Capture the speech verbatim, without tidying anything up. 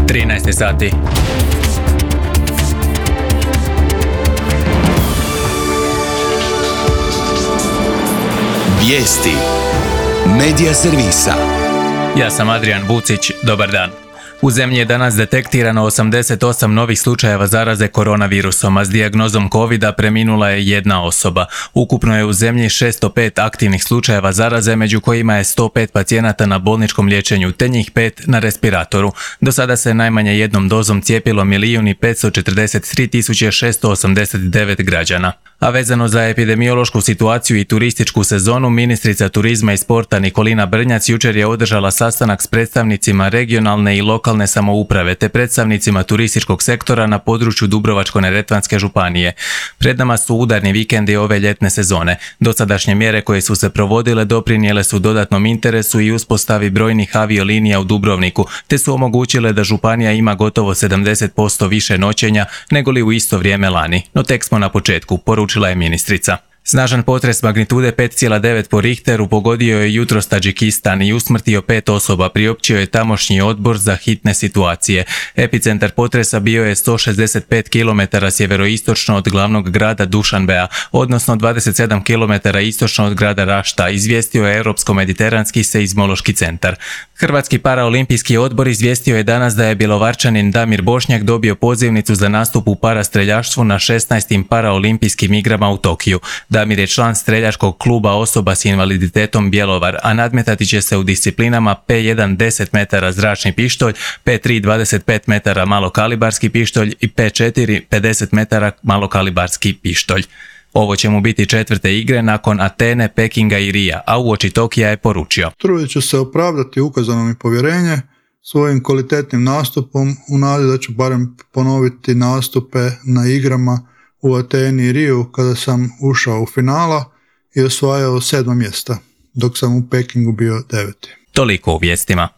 trinaest sati. Vijesti Medija servisa. Ja sam Adrian Vucić, dobar dan. U zemlji je danas detektirano osamdeset osam novih slučajeva zaraze koronavirusom, a s dijagnozom covida preminula je jedna osoba. Ukupno je u zemlji šesto pet aktivnih slučajeva zaraze, među kojima je sto pet pacijenata na bolničkom liječenju, te njih pet na respiratoru. Do sada se najmanje jednom dozom cijepilo milijun i petsto četrdeset tri tisuće šesto osamdeset devet građana. A vezano za epidemiološku situaciju i turističku sezonu, ministrica turizma i sporta Nikolina Brnjac jučer je održala sastanak s predstavnicima regionalne i lokalne samouprave te predstavnicima turističkog sektora na području Dubrovačko-neretvanske županije. Pred nama su udarni vikendi ove ljetne sezone. Dosadašnje mjere koje su se provodile doprinijele su dodatnom interesu i uspostavi brojnih aviolinija u Dubrovniku, te su omogućile da županija ima gotovo sedamdeset posto više noćenja nego li u isto vrijeme lani. No tek smo na početku, poručila je ministrica. Snažan potres magnitude pet zarez devet po Richteru pogodio je jutros Tadžikistan i usmrtio pet osoba, priopćio je tamošnji odbor za hitne situacije. Epicentar potresa bio je sto šezdeset pet kilometara sjeveroistočno od glavnog grada Dušanbea, odnosno dvadeset sedam kilometara istočno od grada Rašta, izvijestio je Europsko-mediteranski seizmološki centar. Hrvatski paraolimpijski odbor izvijestio je danas da je Bjelovarčanin Damir Bošnjak dobio pozivnicu za nastup u parastreljaštvu na šesnaestim paraolimpijskim igrama u Tokiju. Damir je član streljačkog kluba osoba s invaliditetom Bjelovar, a nadmetati će se u disciplinama P jedan deset metara zračni pištolj, P tri dvadeset pet metara malokalibarski pištolj i P četiri pedeset metara malokalibarski pištolj. Ovo će mu biti četvrte igre nakon Atene, Pekinga i Rija, a uoči Tokija je poručio: Trudit ću se opravdati ukazano mi povjerenje svojim kvalitetnim nastupom u nadi da ću barem ponoviti nastupe na igrama u Ateni i Riju kada sam ušao u finala i osvajao sedma mjesta, dok sam u Pekingu bio deveti. Toliko u vijestima.